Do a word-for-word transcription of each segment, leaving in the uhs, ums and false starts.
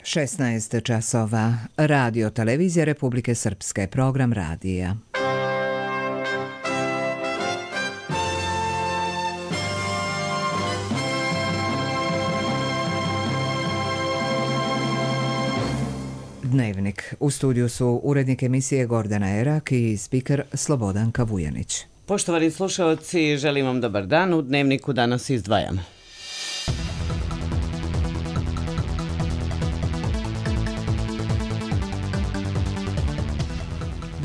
šesnaest časova. Radio Televizija Republike Srpske. Program radija. Dnevnik. U studiju su urednik emisije Gordana Erak i spiker Slobodanka Vujanić. Poštovani slušalci, želim vam dobar dan. U Dnevniku danas izdvajamo.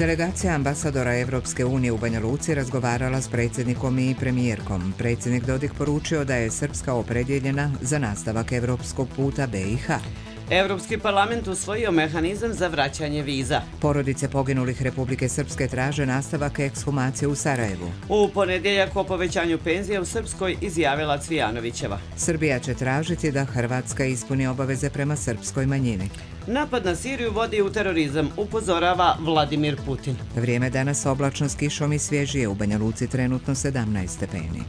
Delegacija ambasadora Evropske unije u Banja Luci razgovarala s predsjednikom i premijerkom. Predsjednik Dodik poručio da je Srpska opredjeljena za nastavak evropskog puta be i ha. Evropski parlament usvojio mehanizam za vraćanje viza. Porodice poginulih Republike Srpske traže nastavak ekshumacije u Sarajevu. U ponedjeljak o povećanju penzija u Srpskoj izjavila Cvijanovićeva. Srbija će tražiti da Hrvatska ispuni obaveze prema srpskoj manjini. Napad na Siriju vodi u terorizam, upozorava Vladimir Putin. Vrijeme danas oblačno s kišom i svježije, u Banja Luci trenutno sedamnaest stepeni.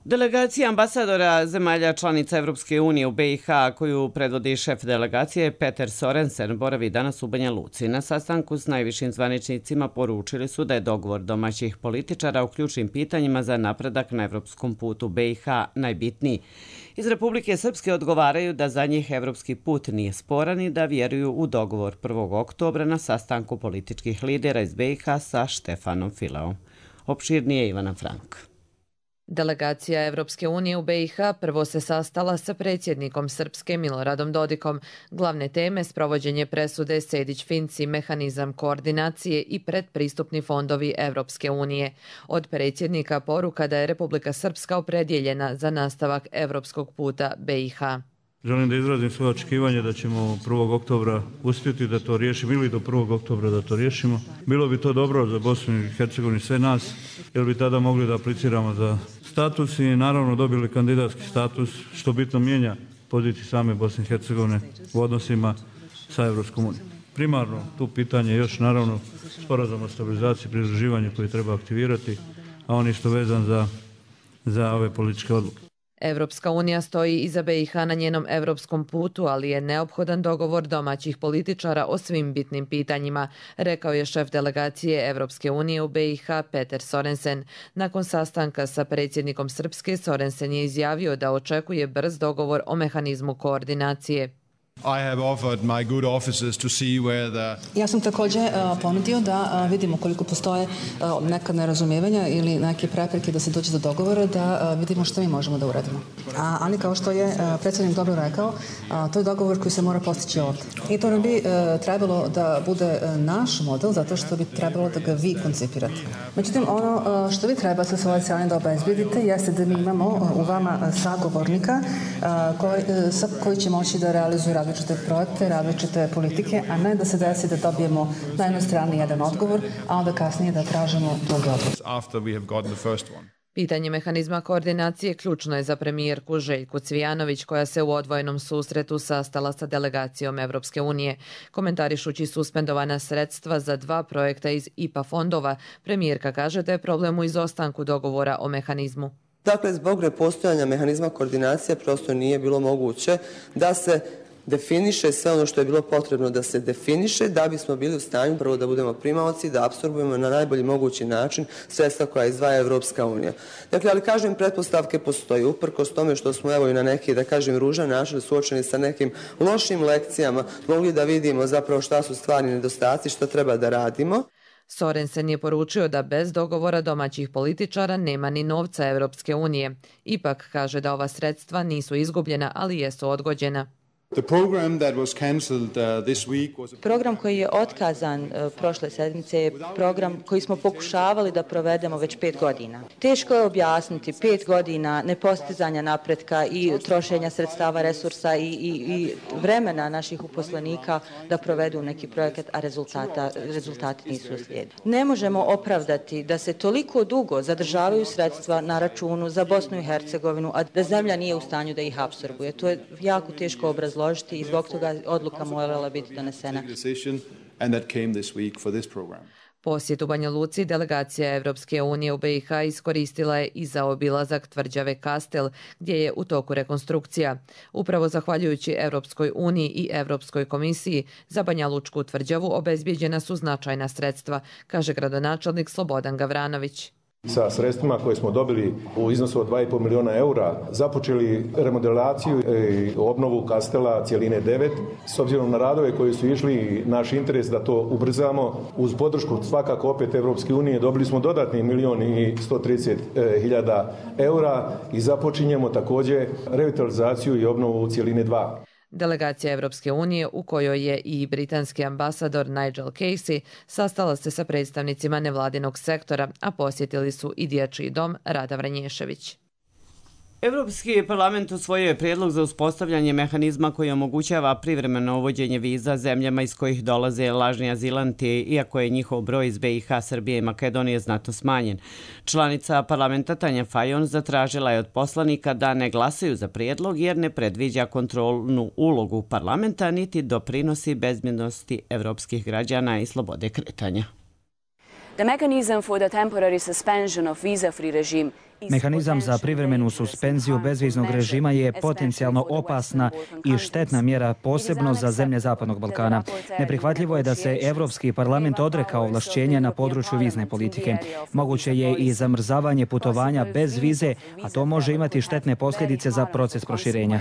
Delegacija ambasadora zemalja članica Evropske unije u be i ha, koju predvodi šef delegacije Peter Sorensen, boravi danas u Banja Luci. Na sastanku s najvišim zvaničnicima poručili su da je dogovor domaćih političara u ključnim pitanjima za napredak na evropskom putu be i ha najbitniji. Iz Republike Srpske odgovaraju da za njih evropski put nije sporan i da vjeruju u dogovor prvog oktobra na sastanku političkih lidera iz be i ha sa Štefanom Fileom. Opširnije Ivana Frank. Delegacija Evropske unije u be i ha prvo se sastala sa predsjednikom Srpske Miloradom Dodikom. Glavne teme sprovođenje presude Sejdić-Finci, mehanizam koordinacije i predpristupni fondovi Evropske unije. Od predsjednika poruka da je Republika Srpska opredjeljena za nastavak evropskog puta be i ha. Želim da izrazim svoje očekivanje da ćemo prvog oktobra uspjeti da to riješimo ili do prvog oktobra da to riješimo. Bilo bi to dobro za Bosnu i Hercegovinu sve nas, jer bi tada mogli da apliciramo za status i naravno dobili kandidatski status, što bitno mijenja poziciju same Bosne i Hercegovine u odnosima sa Evropskom unijom. Primarno tu pitanje je još naravno sporazum o stabilizaciji i pridruživanju koji treba aktivirati, a on isto vezan za, za ove političke odluke. Evropska unija stoji iza be i ha na njenom evropskom putu, ali je neophodan dogovor domaćih političara o svim bitnim pitanjima, rekao je šef delegacije Evropske unije u be i ha Peter Sorensen. Nakon sastanka sa predsjednikom Srpske, Sorensen je izjavio da očekuje brz dogovor o mehanizmu koordinacije. Ja sam također uh, ponudio da uh, vidimo koliko postoje uh, neka nerazumijevanja ili neke prepreke da se dođe do dogovora, da uh, vidimo što mi možemo da uradimo. A, ali kao što je uh, predsjednik dobro rekao, uh, to je dogovor koji se mora postići ovdje. I to ne bi uh, trebalo da bude uh, naš model, zato što bi trebalo da ga vi koncipirate. Međutim, ono uh, što vi treba sa svoje strane da obezbedite jeste da mi imamo uh, u vama uh, sagovornika uh, koji, uh, sa, koji će moći da realizuje različite projekte, različite politike, a ne da se desi da dobijemo na jednoj strani jedan odgovor, a onda kasnije da tražimo drugi odgovor. Pitanje mehanizma koordinacije ključno je za premijerku Željku Cvijanović, koja se u odvojenom susretu sastala sa delegacijom Evropske unije. Komentarišući suspendovana sredstva za dva projekta iz i pe a fondova, premijerka kaže da je problem u izostanku dogovora o mehanizmu. Dakle, zbog nepostojanja mehanizma koordinacije prosto nije bilo moguće da se definiše sve ono što je bilo potrebno da se definiše da bismo bili u stanju prvo da budemo primaoci, da apsorbujemo na najbolji mogući način sredstva koja izdvaja Evropska unija. Dakle, ali kažem, pretpostavke postoji. Uprkos tome što smo evo i na neki, da kažem, ružan način suočeni sa nekim lošim lekcijama, mogli da vidimo zapravo šta su stvarni nedostaci, šta treba da radimo. Sorensen je poručio da bez dogovora domaćih političara nema ni novca Evropske unije. Ipak kaže da ova sredstva nisu izgubljena, ali jesu odgođena. Program koji je otkazan uh, prošle sedmice je program koji smo pokušavali da provedemo već pet godina. Teško je objasniti pet godina nepostizanja napretka i trošenja sredstava, resursa i, i, i vremena naših uposlenika da provedu neki projekat, a rezultata, rezultati nisu uslijedili. Ne možemo opravdati da se toliko dugo zadržavaju sredstva na računu za Bosnu i Hercegovinu, a da zemlja nije u stanju da ih apsorbuje. To je jako teško obrazložiti složiti i zbog toga odluka morala biti donesena. Posjet u Banja Luci delegacija Evropske unije u B i H iskoristila je i za obilazak tvrđave Kastel, gdje je u toku rekonstrukcija. Upravo zahvaljujući Evropskoj uniji i Evropskoj komisiji za Banja Lučku tvrđavu obezbijeđena su značajna sredstva, kaže gradonačelnik Slobodan Gavranović. Sa sredstvima koje smo dobili u iznosu od dva i pol miliona eura započeli remodelaciju i obnovu kastela cijeline devet. S obzirom na radove koji su išli, naš interes da to ubrzamo, uz podršku svakako opet Evropske unije, dobili smo dodatni milion i sto trideset hiljada eura i započinjemo također revitalizaciju i obnovu cijeline dva. Delegacija Evropske unije, u kojoj je i britanski ambasador Nigel Casey, sastala se sa predstavnicima nevladinog sektora, a posjetili su i dječji dom Rada Vranješević. Evropski parlament usvojio je prijedlog za uspostavljanje mehanizma koji omogućava privremeno uvođenje viza zemljama iz kojih dolaze lažni azilanti, iako je njihov broj iz B i H, Srbije i Makedonije znatno smanjen. Članica parlamenta Tanja Fajon zatražila je od poslanika da ne glasaju za prijedlog jer ne predviđa kontrolnu ulogu parlamenta niti doprinosi bezbjednosti evropskih građana i slobode kretanja. The mechanism for the temporary suspension of visa-free regime Mehanizam za privremenu suspenziju bezviznog režima je potencijalno opasna i štetna mjera posebno za zemlje Zapadnog Balkana. Neprihvatljivo je da se Evropski parlament odrekao ovlašćenja na području vizne politike. Moguće je i zamrzavanje putovanja bez vize, a to može imati štetne posljedice za proces proširenja.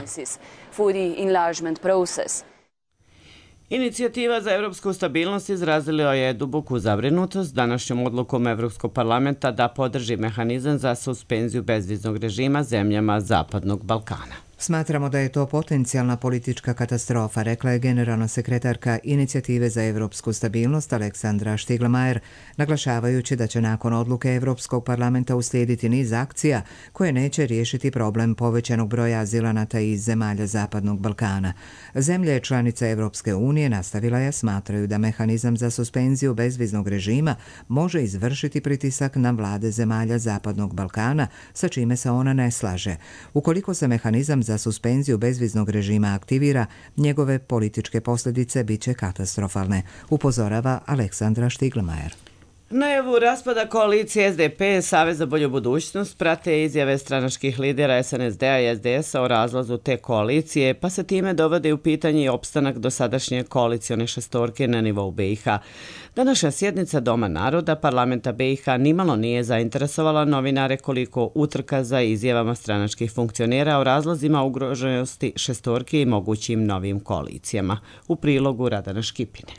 Inicijativa za evropsku stabilnost izrazila je duboku zabrinutost današnjom odlukom Evropskog parlamenta da podrži mehanizam za suspenziju bezviznog režima zemljama Zapadnog Balkana. Smatramo da je to potencijalna politička katastrofa, rekla je generalna sekretarka Inicijative za evropsku stabilnost Aleksandra Štigl-Majer, naglašavajući da će nakon odluke Evropskog parlamenta uslijediti niz akcija koje neće riješiti problem povećanog broja azilanata iz zemalja Zapadnog Balkana. Zemlje članice Evropske unije, nastavila je, smatraju da mehanizam za suspenziju bezviznog režima može izvršiti pritisak na vlade zemalja Zapadnog Balkana, sa čime se ona ne slaže. Ukoliko se mehanizam za suspenziju bezviznog režima aktivira, njegove političke posljedice bit će katastrofalne, upozorava Aleksandra Štigl-Majer. Najavu raspada koalicije S D P, Savez za bolju budućnost, prate izjave stranačkih lidera S N S D-a i S D S-a o razlazu te koalicije, pa se time dovode u pitanje i opstanak dosadašnje koalicione šestorke na nivou B i H. Današnja sjednica Doma naroda parlamenta B i H nimalo nije zainteresovala novinare koliko utrka za izjavama stranačkih funkcionera o razlozima ugroženosti šestorke i mogućim novim koalicijama. U prilogu Radana Škipine.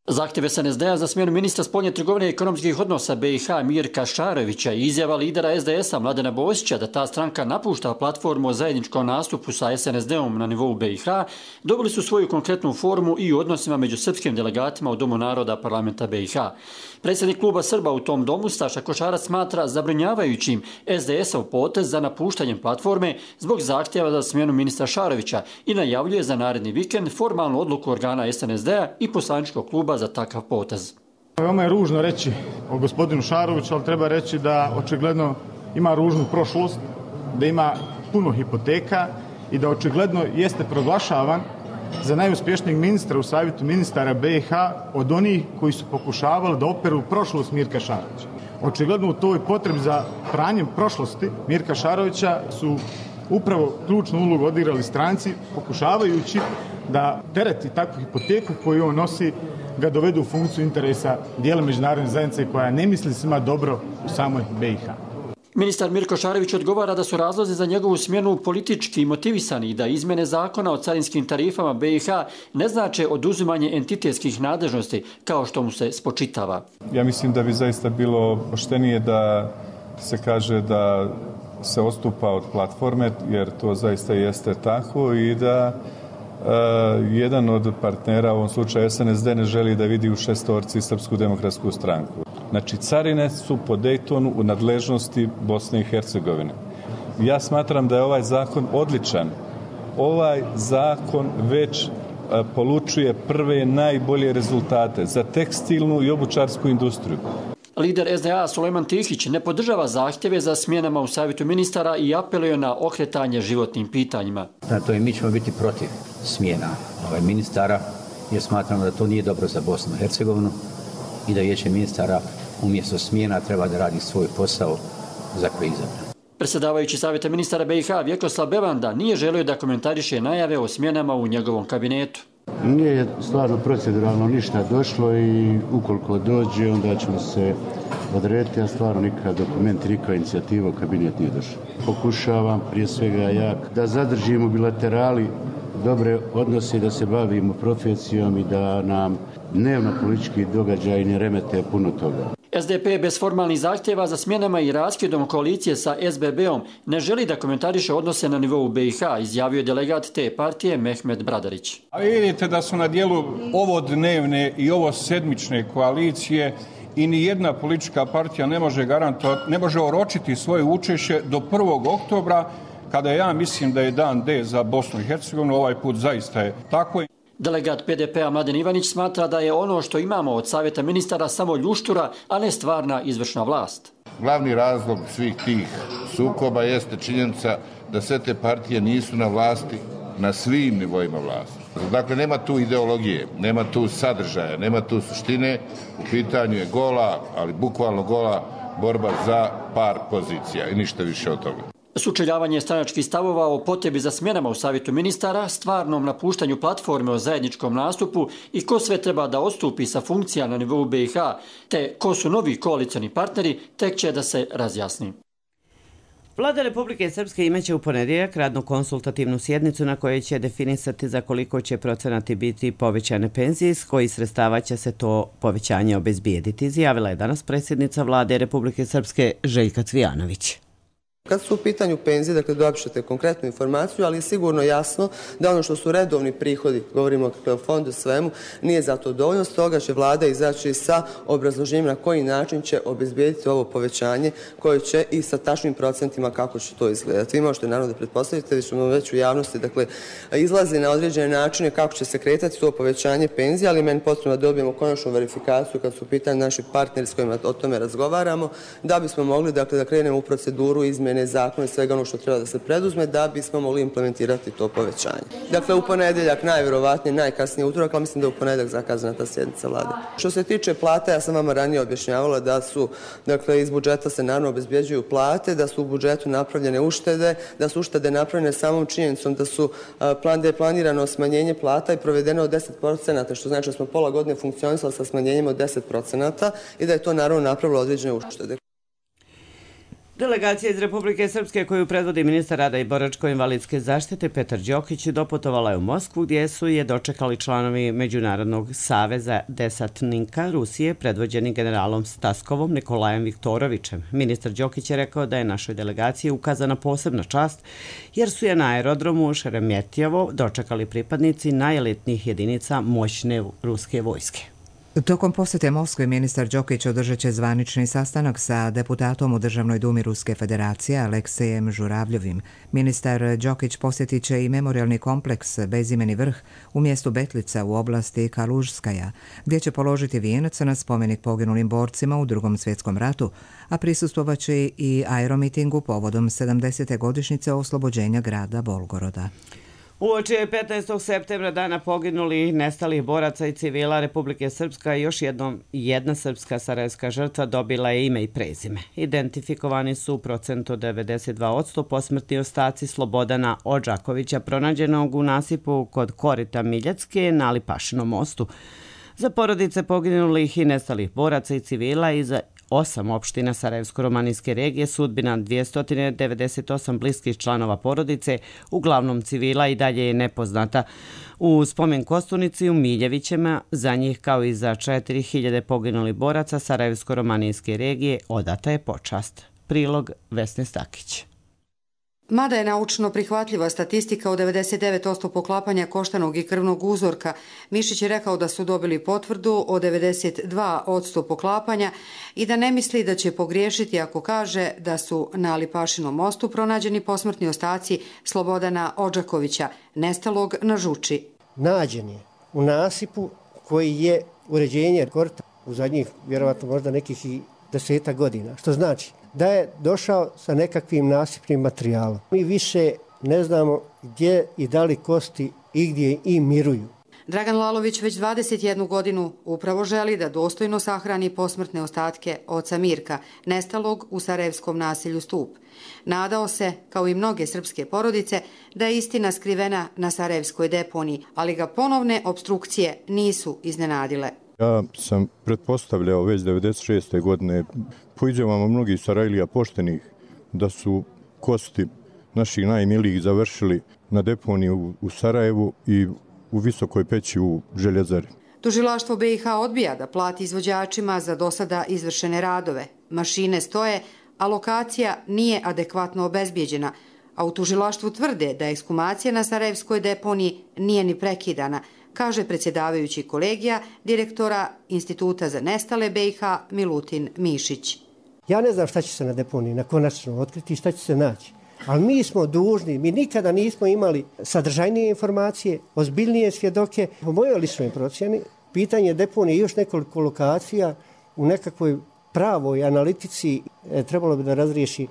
Zahtjev S N S D-a za smjenu ministra spoljne trgovine i ekonomskih odnosa B i H Mirka Šarovića i izjava lidera S D S-a Mladena Bosića da ta stranka napušta platformu o zajedničkom nastupu sa S N S D-om na nivou B i H dobili su svoju konkretnu formu i u odnosima među srpskim delegatima u Domu naroda parlamenta B i H. Predsjednik kluba Srba u tom domu, Staša Košarac, smatra zabrinjavajućim S D S-ov potez za napuštanjem platforme zbog zahtjeva za smjenu ministra Šarovića i najavljuje za naredni vikend formalnu odluku organa S N S D-a i poslaničkog kluba za takav potez. Veoma je ružno reći o gospodinu Šaroviću, ali treba reći da očigledno ima ružnu prošlost, da ima puno hipoteka i da očigledno jeste proglašavan za najuspješnijeg ministra u savjetu ministara B i H od onih koji su pokušavali da operu prošlost Mirka Šarovića. Očigledno u toj potrebi za pranjem prošlosti Mirka Šarovića su upravo ključnu ulogu odigrali stranci, pokušavajući da tereti takvu hipoteku koju on nosi ga dovedu u funkciju interesa dijela međunarodne zajednice koja ne misli svima dobro u samoj B i H. Ministar Mirko Šarović odgovara da su razlozi za njegovu smjenu politički motivisani i da izmjene zakona o carinskim tarifama B i H ne znače oduzimanje entitetskih nadležnosti kao što mu se spočitava. Ja mislim da bi zaista bilo poštenije da se kaže da se odstupa od platforme, jer to zaista jeste tako, i da Uh, jedan od partnera, u ovom slučaju S N S D, ne želi da vidi u šestorci Srpsku demokratsku stranku. Znači, carine su po Dejtonu u nadležnosti Bosne i Hercegovine. Ja smatram da je ovaj zakon odličan. Ovaj zakon već uh, polučuje prve najbolje rezultate za tekstilnu i obućarsku industriju. Lider S D A Sulejman Tihić ne podržava zahtjeve za smjenama u savjetu ministara i apeluje na okretanje životnim pitanjima. Zato i mi ćemo biti protiv smjena ovaj ministara jer smatramo da to nije dobro za Bosnu i Hercegovinu i da Vijeće ministara umjesto smjena treba da radi svoj posao za koji je izabran. Predsjedavajući Savjeta ministara B i H Vjekoslav Bevanda nije želio da komentariše najave o smjenama u njegovom kabinetu. Nije stvarno proceduralno ništa došlo i ukoliko dođe onda ćemo se odrediti, a stvarno nikakav dokument, nikakva inicijativa u kabinet nije došla. Pokušavam prije svega ja da zadržimo bilaterali dobre odnose, da se bavimo profesijom i da nam dnevno politički događaji ne remete puno toga. S D P bez formalnih zahtjeva za smjenama i raskidom koalicije sa S B B-om ne želi da komentariše odnose na nivou B i H, izjavio je delegat te partije Mehmet Bradarić. A vidite da su na dijelu ovo dnevne i ovo sedmične koalicije i ni jedna politička partija ne može garantovati, ne može oročiti svoje učešće do prvog oktobra, kada ja mislim da je dan D za Bosnu i Hercegovinu, ovaj put zaista je tako. Delegat P D P-a Mladen Ivanić smatra da je ono što imamo od Savjeta ministara samo ljuštura, a ne stvarna izvršna vlast. Glavni razlog svih tih sukoba jeste činjenica da sve te partije nisu na vlasti na svim nivoima vlasti. Dakle, nema tu ideologije, nema tu sadržaja, nema tu suštine. U pitanju je gola, ali bukvalno gola borba za par pozicija i ništa više od toga. Sučeljavanje stranačkih stavova o potrebi za smjenama u Savjetu ministara, stvarnom napuštanju platforme o zajedničkom nastupu i ko sve treba da odstupi sa funkcija na nivou B i H, te ko su novi koalicioni partneri, tek će da se razjasni. Vlada Republike Srpske imaće u ponedjeljak radnu konsultativnu sjednicu na kojoj će definisati za koliko će procenati biti povećane penzije, s kojih sredstava će se to povećanje obezbijediti, izjavila je danas predsjednica Vlade Republike Srpske Željka Cvijanović. Kad su u pitanju penzije, dakle dobit ćete konkretnu informaciju, ali je sigurno jasno da ono što su redovni prihodi, govorimo o fondu svemu, nije za to dovoljno, stoga će vlada izaći sa obrazloženjem na koji način će obezbijediti ovo povećanje koje će i sa tačnim procentima kako će to izgledati. Vi možete naravno da pretpostavite, već smo već u javnosti, dakle izlazi na određene načine kako će se kretati to povećanje penzije, ali meni potrebno da dobijemo konačnu verifikaciju kad su u pitanju naši partneri s kojima o tome razgovaramo, da bismo mogli dakle da krenemo u proceduru izmjene zakona i svega ono što treba da se preduzme da bismo mogli implementirati to povećanje. Dakle, u ponedjeljak, najvjerovatnije, najkasnije utorak, ali mislim da je u ponedjeljak zakazana ta sjednica vlade. Što se tiče plata, ja sam vama ranije objašnjavala da su, dakle, iz budžeta se naravno obezbjeđuju plate, da su u budžetu napravljene uštede, da su uštede napravljene samom činjenicom da su plan, da je planirano smanjenje plata i provedeno od deset procenata, što znači da smo pola godine funkcionisali sa smanjenjem od deset procenata i da je to naravno napravilo određene uštede. Delegacija iz Republike Srpske koju predvodi ministar rada i boračko-invalidske zaštite Petar Đokić doputovala je u Moskvu gdje su je dočekali članovi Međunarodnog saveza desantnika Rusije predvođeni generalom Staskovom Nikolajem Viktorovićem. Ministar Đokić je rekao da je našoj delegaciji ukazana posebna čast jer su je na aerodromu Šeremetjevo dočekali pripadnici najelitnijih jedinica moćne ruske vojske. Tokom posjete Moskve ministar Đokić održat će zvanični sastanak sa deputatom u Državnoj dumi Ruske federacije Aleksejem Žuravljovim. Ministar Đokić posjetit će i memorialni kompleks Bezimeni vrh u mjestu Betlica u oblasti Kalužskaja, gdje će položiti vijenac na spomenik poginulim borcima u Drugom svjetskom ratu, a prisustvovat će i aeromitingu povodom sedamdesete godišnjice oslobođenja grada Bolgoroda. Uoči je petnaestog septembra dana poginulih nestalih boraca i civila Republike Srpska i još jednom jedna srpska sarajevska žrtva dobila je ime i prezime. Identifikovani su u procentu devedeset dva posto posmrtni ostaci Slobodana Odžakovića pronađenog u nasipu kod korita Miljacke na Lipašinom mostu. Za porodice poginulih i nestalih boraca i civila i za osam opština Sarajevsko-romanijske regije sudbina dvjesto devedeset osam bliskih članova porodice, uglavnom civila, i dalje je nepoznata. U spomen kostunici u Miljevićima za njih kao i za četiri hiljade poginulih boraca Sarajevsko-romanijske regije odata je počast. Prilog Vesne Stakić. Mada je naučno prihvatljiva statistika od devedeset devet posto poklapanja koštanog i krvnog uzorka, Mišić je rekao da su dobili potvrdu o devedeset dva posto poklapanja i da ne misli da će pogriješiti ako kaže da su na Lipašinom mostu pronađeni posmrtni ostaci Slobodana Odžakovića, nestalog na Žuči. Nađen je u nasipu koji je uređenje korita u zadnjih, vjerovatno možda nekih i deseta godina, što znači da je došao sa nekakvim nasipnim materijalom. Mi više ne znamo gdje i da li kosti i gdje i miruju. Dragan Lalović već dvadeset jednu godinu upravo želi da dostojno sahrani posmrtne ostatke oca Mirka, nestalog u sarajevskom naselju Stup. Nadao se, kao i mnoge srpske porodice, da je istina skrivena na sarajevskoj deponiji, ali ga ponovne obstrukcije nisu iznenadile. Ja sam pretpostavljao već devedeset šeste godine po izjavama mnogih Sarajlija poštenih da su kosti naših najmilijih završili na deponiji u Sarajevu i u Visokoj peći u Željezari. Tužilaštvo B i H odbija da plati izvođačima za do sada izvršene radove. Mašine stoje, a lokacija nije adekvatno obezbijeđena, a u tužilaštvu tvrde da ekshumacija na sarajevskoj deponiji nije ni prekidana, kaže predsjedavajući kolegija direktora Instituta za nestale B i H Milutin Mišić. Ja ne znam šta će se na deponiji na konačno otkriti i šta će se naći. Ali mi smo dužni, mi nikada nismo imali sadržajnije informacije, ozbiljnije svjedoke. Po mojoj ličnoj procjeni, pitanje deponije i još nekoliko lokacija u nekakvoj pravoj analitici e, trebalo bi da razriješi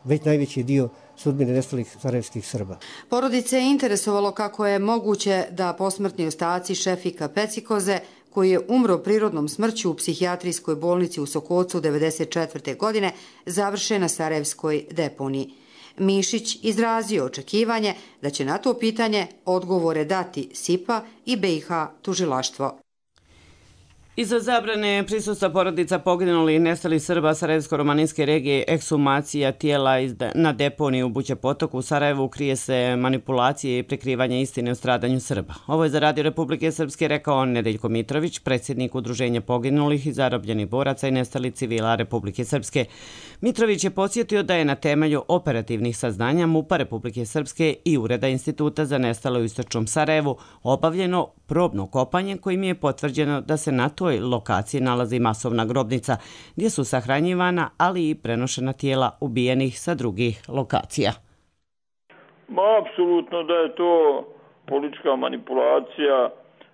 već najveći dio sudbine nestalih sarajevskih Srba. Porodice je interesovalo kako je moguće da posmrtni ostaci Šefika Pecikoze, koji je umro prirodnom smrću u psihijatrijskoj bolnici u Sokocu devedeset četvrte godine, završe na sarajevskoj deponiji. Mišić izrazio očekivanje da će na to pitanje odgovore dati S I P A i B i H tužilaštvo. Iza zabrane prisustva porodica poginulih i nestalih Srba Sarajevsko-romaninske regije ekshumacija tijela na deponiji u Buća potoku u Sarajevu krije se manipulacije i prikrivanje istine o stradanju Srba. Ovo je za Radio Republike Srpske rekao Nedeljko Mitrović, predsjednik Udruženja poginulih i zarobljenih boraca i nestalih civila Republike Srpske. Mitrović je podsjetio da je na temelju operativnih saznanja MUP-a Republike Srpske i Ureda Instituta za nestale u Istočnom Sarajevu obavljeno probno kopanje kojim je potvrđeno da se na toj lokaciji nalazi masovna grobnica gdje su sahranjivana, ali i prenošena tijela ubijenih sa drugih lokacija. Ma, apsolutno da je to politička manipulacija,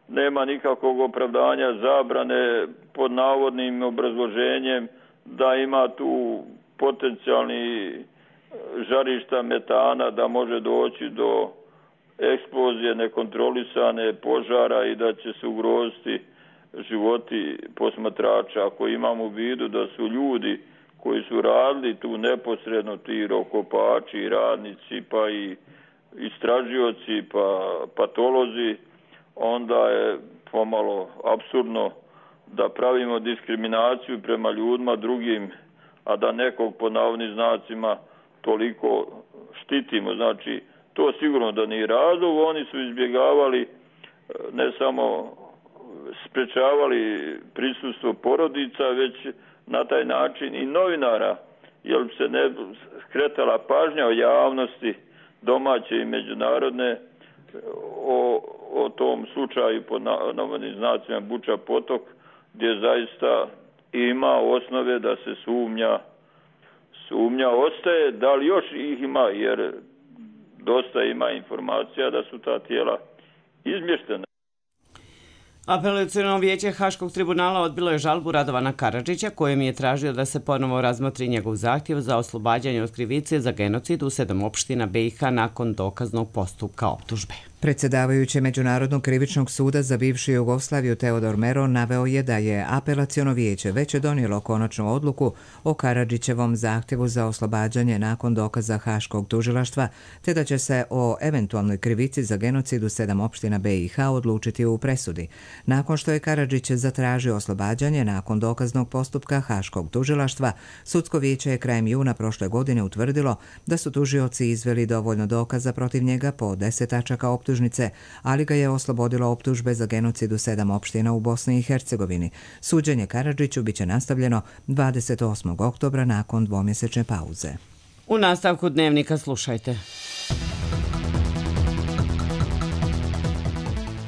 nema nikakvog opravdanja zabrane pod navodnim obrazloženjem da ima tu potencijalni žarišta metana, da može doći do eksplozije nekontrolisane požara i da će se ugroziti životi posmatrača. Ako imamo u vidu da su ljudi koji su radili tu neposredno, ti rokopači, radnici, pa i istražioci, pa patolozi, onda je pomalo apsurdno da pravimo diskriminaciju prema ljudima drugim, a da nekog po navodnim znacima toliko štitimo. Znači, to sigurno da nije razlog, oni su izbjegavali, ne samo sprečavali prisustvo porodica, već na taj način i novinara, jer se ne skretala pažnja o javnosti domaće i međunarodne o, o tom slučaju pod navodnim znacima Buća potok, gdje zaista ima osnove da se sumnja, sumnja ostaje, da li još ih ima, jer dosta ima informacija da su ta tijela izmještena. Apelaciono vijeće Haškog tribunala odbilo je žalbu Radovana Karadžića, kojem je tražio da se ponovo razmotri njegov zahtjev za oslobađanje od krivice za genocid u sedam opština B i H nakon dokaznog postupka optužbe. Predsjedavajući Međunarodnog krivičnog suda za bivšu Jugoslaviju Teodor Mero naveo je da je apelaciono vijeće već donijelo konačnu odluku o Karadžićevom zahtjevu za oslobađanje nakon dokaza Haškog tužilaštva, te da će se o eventualnoj krivici za genocid u sedam opština B i H odlučiti u presudi. Nakon što je Karadžić zatražio oslobađanje nakon dokaznog postupka Haškog tužilaštva, sudsko vijeće je krajem juna prošle godine utvrdilo da su tužioci izveli dovoljno dokaza protiv njega po deset tačaka optužbe, ali ga je oslobodilo optužbe za genocid u sedam opština u Bosni i Hercegovini. Suđenje Karadžiću biće nastavljeno dvadeset osmog oktobra nakon dvomjesečne pauze. U nastavku dnevnika slušajte.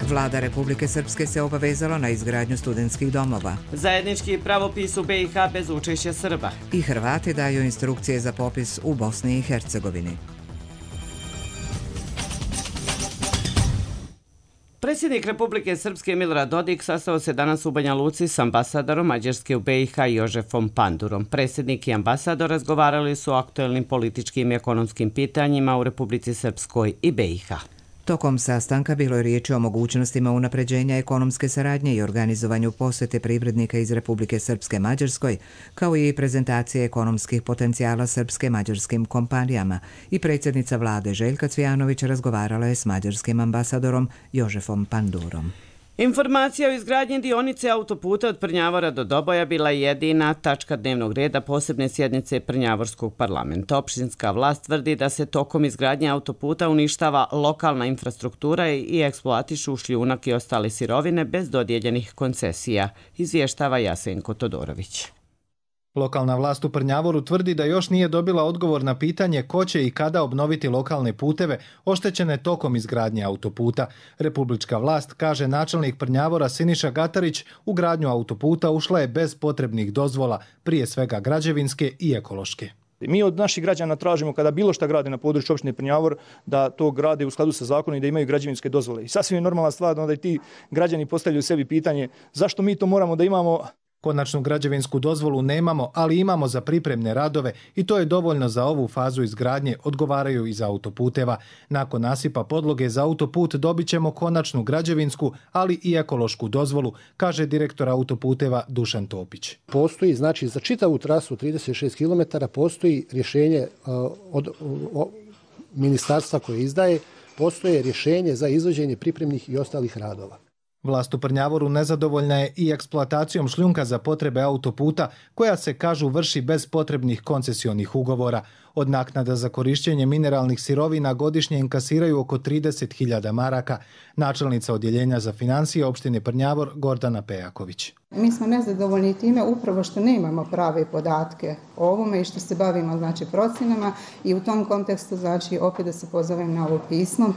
Vlada Republike Srpske se obavezala na izgradnju studentskih domova. Zajednički pravopis u B i H bez učešća Srba. I Hrvati daju instrukcije za popis u Bosni i Hercegovini. Predsjednik Republike Srpske Milorad Dodik sastao se danas u Banja Luci s ambasadorom Mađarske u B i H Jožefom Pandurom. Predsjednik i ambasador razgovarali su o aktuelnim političkim i ekonomskim pitanjima u Republici Srpskoj i B i H. Tokom sastanka bilo je riječi o mogućnostima unapređenja ekonomske saradnje i organizovanju posjete privrednika iz Republike Srpske Mađarskoj, kao i prezentacije ekonomskih potencijala srpske mađarskim kompanijama, i predsjednica vlade Željka Cvijanović razgovarala je s mađarskim ambasadorom Jožefom Pandurom. Informacija o izgradnji dionice autoputa od Prnjavora do Doboja bila je jedina tačka dnevnog reda posebne sjednice Prnjavorskog parlamenta. Opštinska vlast tvrdi da se tokom izgradnje autoputa uništava lokalna infrastruktura i eksploatišu šljunak i ostale sirovine bez dodijeljenih koncesija, izvještava Jasenko Todorović. Lokalna vlast u Prnjavoru tvrdi da još nije dobila odgovor na pitanje ko će i kada obnoviti lokalne puteve oštećene tokom izgradnje autoputa. Republička vlast, kaže načelnik Prnjavora Siniša Gatarić, u gradnju autoputa ušla je bez potrebnih dozvola, prije svega građevinske i ekološke. Mi od naših građana tražimo kada bilo šta grade na području opštine Prnjavor da to grade u skladu sa zakonom i da imaju građevinske dozvole. I sasvim je normalna stvar da i ti građani postavljaju sebi pitanje zašto mi to moramo da imamo. Konačnu građevinsku dozvolu nemamo, ali imamo za pripremne radove i to je dovoljno za ovu fazu izgradnje, odgovaraju iz autoputeva. Nakon nasipa podloge za autoput dobit ćemo konačnu građevinsku, ali i ekološku dozvolu, kaže direktor autoputeva Dušan Topić. Postoji, znači za čitavu trasu trideset šest kilometara postoji rješenje uh, od uh, ministarstva koje izdaje, postoje rješenje za izvođenje pripremnih i ostalih radova. Vlast u Prnjavoru nezadovoljna je i eksploatacijom šljunka za potrebe autoputa, koja se, kažu, vrši bez potrebnih koncesionih ugovora. Od naknada za korišćenje mineralnih sirovina godišnje inkasiraju oko trideset hiljada maraka. Načelnica odjeljenja za financije opštine Prnjavor Gordana Pejaković. Mi smo nezadovoljni time upravo što nemamo prave podatke o ovome i što se bavimo, znači, procjenama, i u tom kontekstu, znači, opet da se pozovem na ovo pismo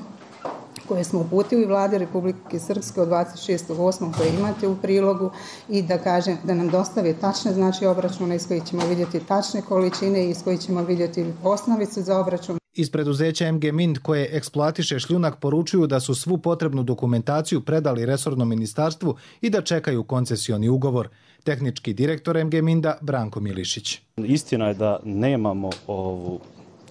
koje smo uputili vlade Republike Srpske od dvadeset šestog osmog koje imate u prilogu, i da kažem da nam dostave tačne, znači, obračune iz kojih ćemo vidjeti tačne količine i iz kojih ćemo vidjeti osnovicu za obračun. Iz preduzeća M G Mind, koje eksploatiše šljunak, poručuju da su svu potrebnu dokumentaciju predali resornom ministarstvu i da čekaju koncesioni ugovor. Tehnički direktor M G Minda Branko Milišić. Istina je da nemamo ovu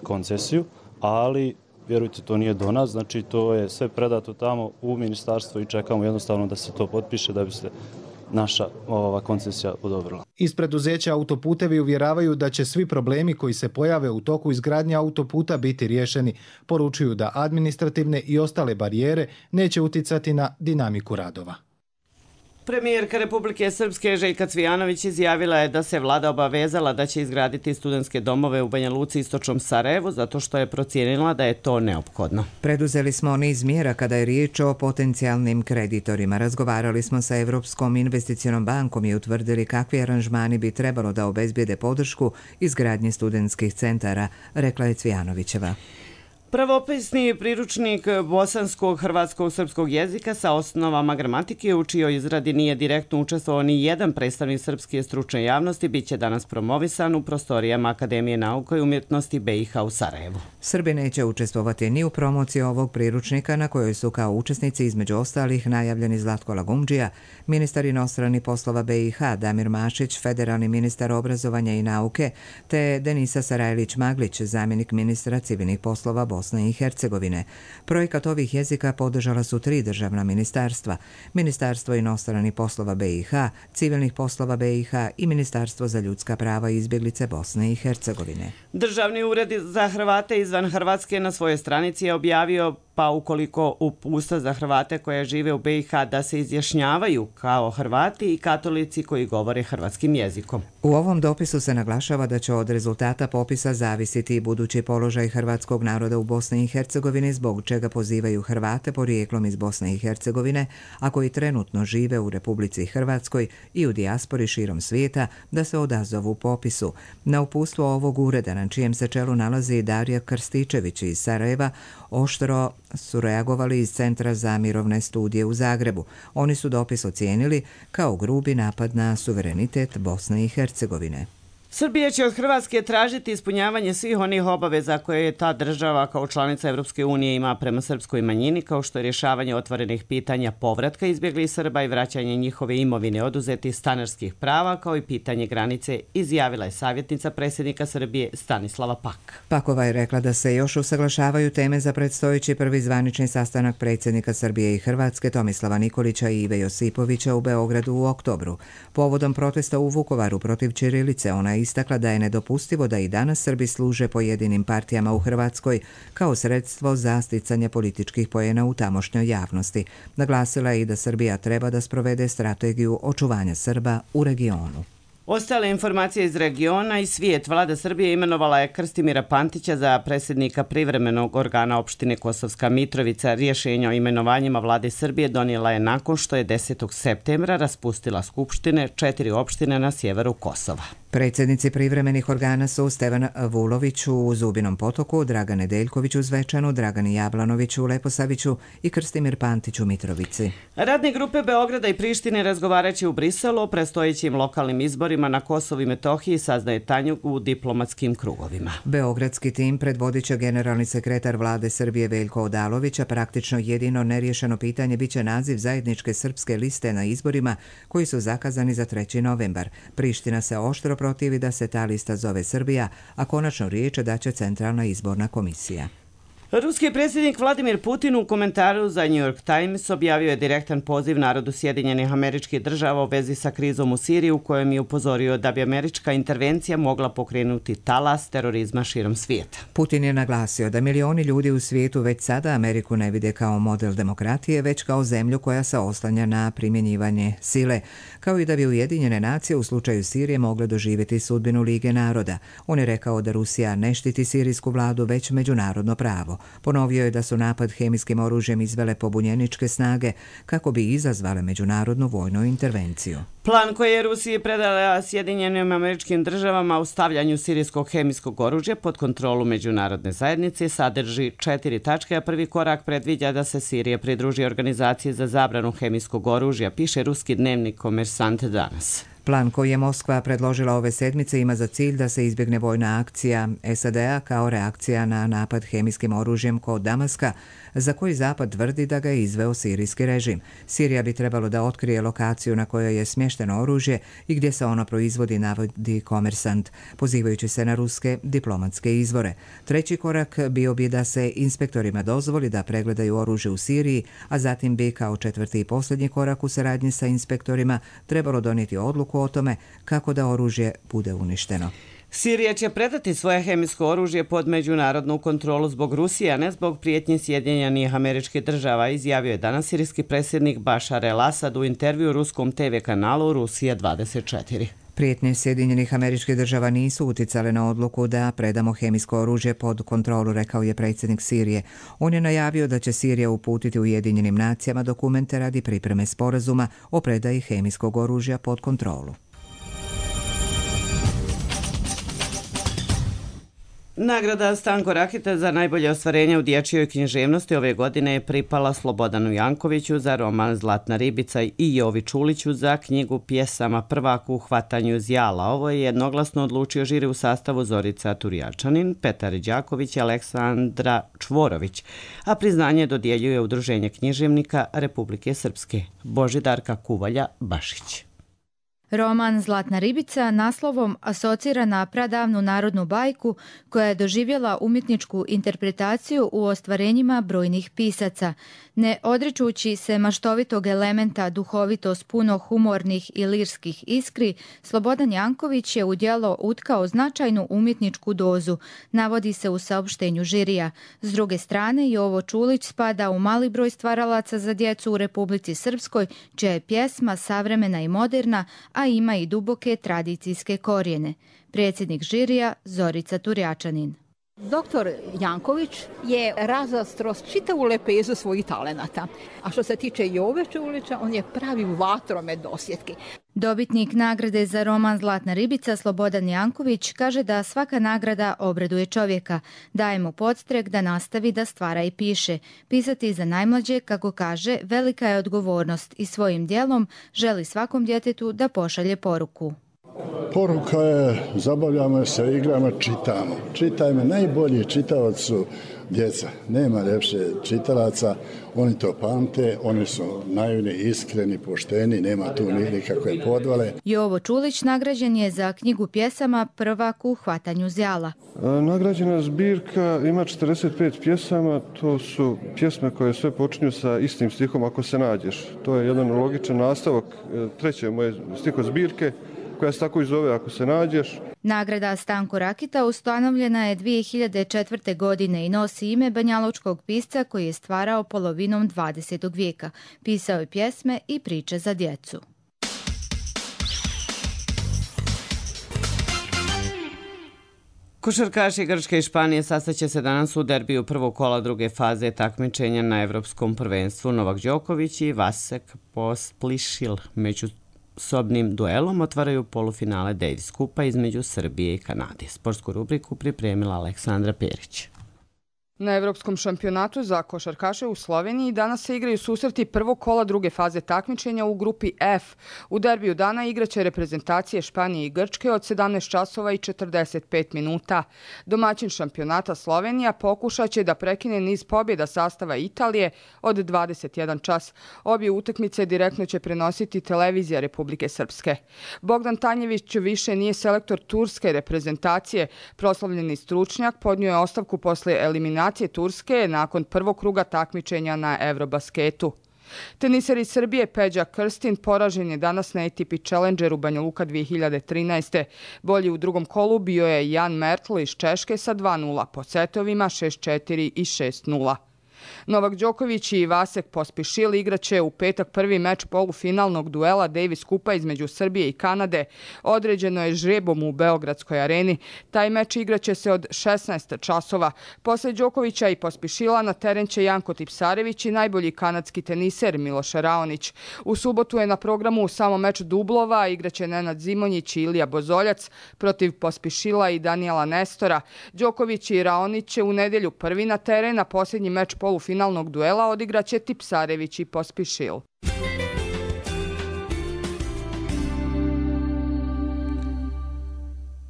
koncesiju, ali vjerujte, to nije do nas, znači to je sve predato tamo u ministarstvo i čekamo jednostavno da se to potpiše da bi se naša ova koncesija odobrila. Iz preduzeća autoputevi uvjeravaju da će svi problemi koji se pojave u toku izgradnje autoputa biti riješeni. Poručuju da administrativne i ostale barijere neće uticati na dinamiku radova. Premijerka Republike Srpske Željka Cvijanović izjavila je da se vlada obavezala da će izgraditi studentske domove u Banja Luci i istočnom Sarajevu zato što je procijenila da je to neophodno. Preduzeli smo niz mjera kada je riječ o potencijalnim kreditorima. Razgovarali smo sa Evropskom investicionom bankom i utvrdili kakvi aranžmani bi trebalo da obezbijede podršku izgradnje studentskih centara, rekla je Cvijanovićeva. Pravopisni priručnik bosanskog, hrvatskog, srpskog jezika sa osnovama gramatike, u čijoj izradi nije direktno učestvovao ni jedan predstavnik srpske stručne javnosti, bit će danas promovisan u prostorijama Akademije nauka i umjetnosti B i H u Sarajevu. Srbi neće učestvovati ni u promociji ovog priručnika, na kojoj su kao učesnici između ostalih najavljeni Zlatko Lagumdžija, ministar inostranih poslova B i H, Damir Mašić, federalni ministar obrazovanja i nauke, te Denisa Sarajlić-Maglić, zamjenik ministra civilnih poslova Bosne i Hercegovine. Projekat ovih jezika podržala su tri državna ministarstva: Ministarstvo inostranih poslova B i H, civilnih poslova B i H i Ministarstvo za ljudska prava i izbjeglice Bosne i Hercegovine. Državni ured za Hrvate izvan Hrvatske na svojoj stranici je objavio pa ukoliko uputstva za Hrvate koje žive u B i H da se izjašnjavaju kao Hrvati i katolici koji govore hrvatskim jezikom. U ovom dopisu se naglašava da će od rezultata popisa zavisiti i budući položaj hrvatskog naroda u Bosni i Hercegovini, zbog čega pozivaju Hrvate porijeklom iz Bosne i Hercegovine, a koji trenutno žive u Republici Hrvatskoj i u dijaspori širom svijeta, da se odazovu popisu. Na uputstvo ovog ureda, na čijem se čelu nalazi Darija Krstičević iz Sarajeva, oštro su reagovali iz Centra za mirovne studije u Zagrebu. Oni su dopis ocijenili kao grubi napad na suverenitet Bosne i Hercegovine. Srbija će od Hrvatske tražiti ispunjavanje svih onih obaveza koje je ta država kao članica Evropske unije ima prema srpskoj manjini, kao što je rješavanje otvorenih pitanja povratka izbjeglih Srba i vraćanje njihove imovine oduzetih stanarskih prava, kao i pitanje granice, izjavila je savjetnica predsjednika Srbije Stanislava Pak. Pakova je rekla da se još usaglašavaju teme za predstojeći prvi zvanični sastanak predsjednika Srbije i Hrvatske Tomislava Nikolića i Ive Josipovića u Beogradu u oktobru. Povodom protesta u Vukovaru protiv ćirilice, ona je istakla da je nedopustivo da i danas Srbi služe pojedinim partijama u Hrvatskoj kao sredstvo za sticanje političkih poena u tamošnjoj javnosti. Naglasila je i da Srbija treba da sprovede strategiju očuvanja Srba u regionu. Ostale informacije iz regiona i svijet. Vlada Srbije imenovala je Krstimira Pantića za predsjednika privremenog organa opštine Kosovska Mitrovica. Rješenje o imenovanjima vlade Srbije donijela je nakon što je desetog septembra raspustila skupštine četiri opštine na sjeveru Kosova. Predsjednici privremenih organa su Stevan Vulović u Zubinom Potoku, Dragan Nedeljković u Zvečanu, Dragan Jablanović u Leposaviću i Krstimir Pantić u Mitrovici. Radne grupe Beograda i Prištine razgovaraće u Briselu o predstojećim lokalnim izborima na Kosovu i Metohiji, saznaje Tanjug u diplomatskim krugovima. Beogradski tim predvodit će generalni sekretar vlade Srbije Veljko Odalović, a praktično jedino neriješeno pitanje biće naziv zajedničke srpske liste na izborima koji su zakazani za treći novembar. Priština se oštro protivi da se ta lista zove Srbija, a konačno riječ daće Centralna izborna komisija. Ruski predsjednik Vladimir Putin u komentaru za New York Times objavio je direktan poziv narodu Sjedinjenih Američkih Država u vezi sa krizom u Siriji, u kojem je upozorio da bi američka intervencija mogla pokrenuti talas terorizma širom svijeta. Putin je naglasio da milioni ljudi u svijetu već sada Ameriku ne vide kao model demokratije, već kao zemlju koja se oslanja na primjenjivanje sile, kao i da bi Ujedinjene nacije u slučaju Sirije mogle doživjeti sudbinu Lige naroda. On je rekao da Rusija ne štiti sirijsku vladu, već međunarodno pravo. Ponovio je da su napad hemijskim oružjem izvele pobunjeničke snage kako bi izazvale međunarodnu vojnu intervenciju. Plan koji je Rusiji predala Sjedinjenim Američkim Državama u stavljanju sirijskog hemijskog oružja pod kontrolu međunarodne zajednice sadrži četiri tačke, a prvi korak predviđa da se Sirija pridruži organizaciji za zabranu hemijskog oružja, piše ruski dnevnik Komersant danas. Plan koji je Moskva predložila ove sedmice ima za cilj da se izbjegne vojna akcija S A D-a kao reakcija na napad hemijskim oružjem kod Damaska, za koji Zapad tvrdi da ga je izveo sirijski režim. Sirija bi trebalo da otkrije lokaciju na kojoj je smješteno oružje i gdje se ono proizvodi, navodi Komersant, pozivajući se na ruske diplomatske izvore. Treći korak bio bi da se inspektorima dozvoli da pregledaju oružje u Siriji, a zatim bi kao četvrti i posljednji korak u saradnji sa inspektorima trebalo donijeti odluku o tome kako da oružje bude uništeno. Sirija će predati svoje hemijsko oružje pod međunarodnu kontrolu zbog Rusije, a ne zbog prijetnje Sjedinjenih Američkih Država, izjavio je danas sirijski predsjednik Bašar el-Asad u intervju ruskom te ve kanalu Rusija dvadeset četiri. Prijetnje Sjedinjenih Američkih Država nisu uticale na odluku da predamo hemijsko oružje pod kontrolu, rekao je predsjednik Sirije. On je najavio da će Sirija uputiti Ujedinjenim nacijama dokumente radi pripreme sporazuma o predaji hemijskog oružja pod kontrolu. Nagrada Stanko Rakita za najbolje ostvarenje u dječjoj književnosti ove godine je pripala Slobodanu Jankoviću za roman Zlatna ribica i Jovi Čuliću za knjigu pjesama Prvak u hvatanju zjala. Ovo je jednoglasno odlučio žiri u sastavu Zorica Turjačanin, Petar Đaković i Aleksandra Čvorović, a priznanje dodjeljuje Udruženje književnika Republike Srpske. Božidarka Kuvalja Bašić. Roman Zlatna ribica naslovom asocira na pradavnu narodnu bajku koja je doživjela umjetničku interpretaciju u ostvarenjima brojnih pisaca. Ne odričući se maštovitog elementa duhovitost puno humornih i lirskih iskri, Slobodan Janković je u djelo utkao značajnu umjetničku dozu, navodi se u saopštenju žirija. S druge strane, Jovo Čulić spada u mali broj stvaralaca za djecu u Republici Srpskoj, čija je pjesma savremena i moderna, a ima i duboke tradicijske korijene. Predsjednik žirija Zorica Turjačanin. Doktor Janković je razastro čitavu lepezu svojih talenata. A što se tiče Jove Čulića, on je pravi vatromet dosjetki. Dobitnik nagrade za roman Zlatna ribica Slobodan Janković kaže da svaka nagrada obraduje čovjeka, daje mu podstrek da nastavi da stvara i piše. Pisati za najmlađe, kako kaže, velika je odgovornost i svojim djelom želi svakom djetetu da pošalje poruku. Poruka je, zabavljamo se, igramo, čitamo. Čitajmo, najbolji čitavac su djeca. Nema ljepše čitalaca, oni to pamte, oni su naivni, iskreni, pošteni, nema tu nikakve podvale. Jovo Čulić nagrađen je za knjigu pjesama Prvak u hvatanju zjala. Nagrađena zbirka ima četrdeset pet pjesama, to su pjesme koje sve počinju sa istim stihom Ako se nađeš. To je jedan logičan nastavak treće moje stiho zbirke, koja se tako i zove Ako se nađeš. Nagrada Stanko Rakita ustanovljena je dvije hiljade četvrte. godine i nosi ime banjalučkog pisca koji je stvarao polovinom dvadesetog vijeka. Pisao je pjesme i priče za djecu. Košarkaši Grčke i Španije sastaće se danas u derbiju prvog kola druge faze takmičenja na Evropskom prvenstvu. Novak Đoković i Vasek Pospišil među sobnim duelom otvaraju polufinale Davis Kupa između Srbije i Kanade. Sportsku rubriku pripremila Aleksandra Perić. Na Evropskom šampionatu za košarkaše u Sloveniji danas se igraju susreti prvog kola druge faze takmičenja u grupi F. U derbiju dana igraće reprezentacije Španije i Grčke od sedamnaest časova i četrdeset pet minuta. Domaćin šampionata Slovenija pokušat će da prekine niz pobjeda sastava Italije od dvadeset jedan čas. Obje utakmice direktno će prenositi televizija Republike Srpske. Bogdan Tanjević više nije selektor turske reprezentacije. Proslavljeni stručnjak podnio je ostavku posle eliminacije Turske nakon prvog kruga takmičenja na Eurobasketu. Teniser iz Srbije Peđa Krstin poražen je danas na A T P Challengeru Banja Luka dvije hiljade trinaeste. Bolji u drugom kolu bio je Jan Mertl iz Češke sa dva nula po setovima šest četiri i šest nula. Novak Đoković i Vasek Pospišil igraće u petak prvi meč polufinalnog duela Davis Kupa između Srbije i Kanade. Određeno je žrebom u Beogradskoj areni. Taj meč igraće se od šesnaest časova. Posle Đokovića i Pospišila na teren će Janko Tipsarević i najbolji kanadski teniser Miloš Raonić. U subotu je na programu samo meč dublova, igraće Nenad Zimonjić i Ilija Bozoljac protiv Pospišila i Danijela Nestora. Đoković i Raonić će u nedelju prvi na teren, a posljednji meč polufinalnog duela odigraće Tipsarević i Pospišil.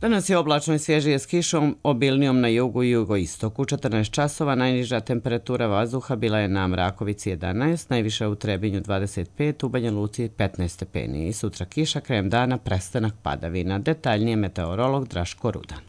Danas je oblačno i svježije s kišom, obilnijom na jugu i jugoistoku. četrnaest časova, najniža temperatura vazduha bila je na Mrakovici jedanaest, najviša u Trebinju dvadeset pet, u Banja Luci petnaest stepeni. Sutra kiša, krajem dana prestanak padavina. Detaljnije meteorolog Draško Rudan.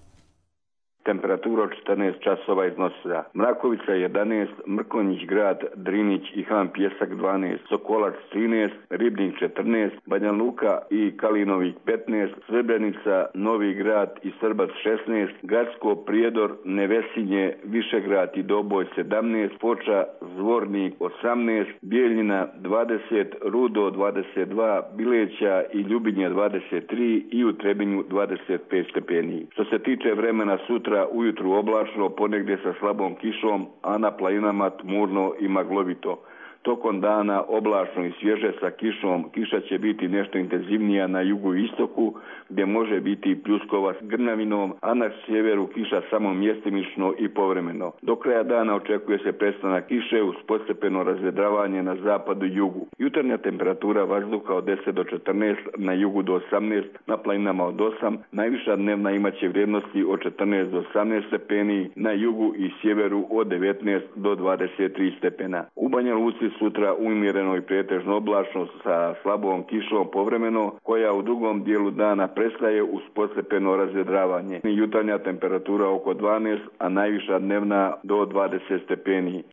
Temperatura od četrnaest časova iznosila Mrakovica jedanaest, Mrkonjić grad, Drinić i Han Pjesak dvanaest, Sokolac trinaest, Ribnik četrnaest, Banja Luka i Kalinovik petnaest, Srebrenica, Novi grad i Srbac šesnaest, Gacko, Prijedor, Nevesinje, Višegrad i Doboj sedamnaest, Foča, Zvornik osamnaest, Bijeljina dvadeset, Rudo dvadeset dva, Bileća i Ljubinje dvadeset tri i u Trebinju dvadeset pet stepeni. Što se tiče vremena sutra, ujutru oblačno, ponegdje sa slabom kišom, a na planinama tmurno i maglovito. Tokom dana oblačno i svježe sa kišom, kiša će biti nešto intenzivnija na jugu i istoku, gdje može biti pljuskova s grnavinom, a na sjeveru kiša samo mjestimično i povremeno. Do kraja dana očekuje se prestanak kiše uz postepeno razvedravanje na zapadu i jugu. Jutarnja temperatura vazduha od deset do četrnaest, na jugu do osamnaest, na planinama od osam, najviša dnevna imaće vrijednosti od četrnaest do osamnaest stepeni, na jugu i sjeveru od devetnaest do dvadeset tri stepena. U Banja Luci sutra umjereno i pretežno oblačno sa slabom kišom povremeno, koja u drugom dijelu dana prestaje uz postepeno razvedravanje. Jutarnja temperatura oko dvanaest, a najviša dnevna do dvadeset stepeni.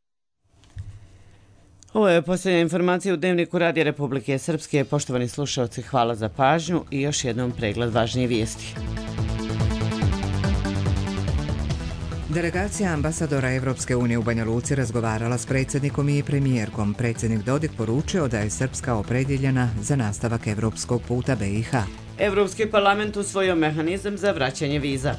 Ovo je posljednja informacija u Dnevniku Radija Republike Srpske. Poštovani slušalci, hvala za pažnju i još jednom pregled važnije vijesti. Delegacija ambasadora Evropske unije u Banja Luci razgovarala s predsjednikom i premijerkom. Predsjednik Dodik poručio da je Srpska opredjeljena za nastavak evropskog puta B i H. Evropski parlament usvojio mehanizam za vraćanje viza.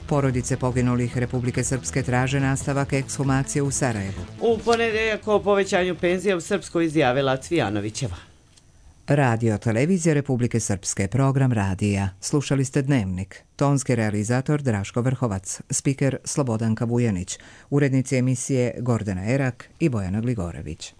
Porodice poginulih Republike Srpske traže nastavak ekshumacije u Sarajevu. U ponedjeljak o povećanju penzija u Srpskoj izjavila Cvijanovićeva. Radio Televizija Republike Srpske, program radija. Slušali ste Dnevnik. Tonski realizator Draško Vrhovac, spiker Slobodanka Vujanić, urednici emisije Gordana Erak i Bojana Gligorević.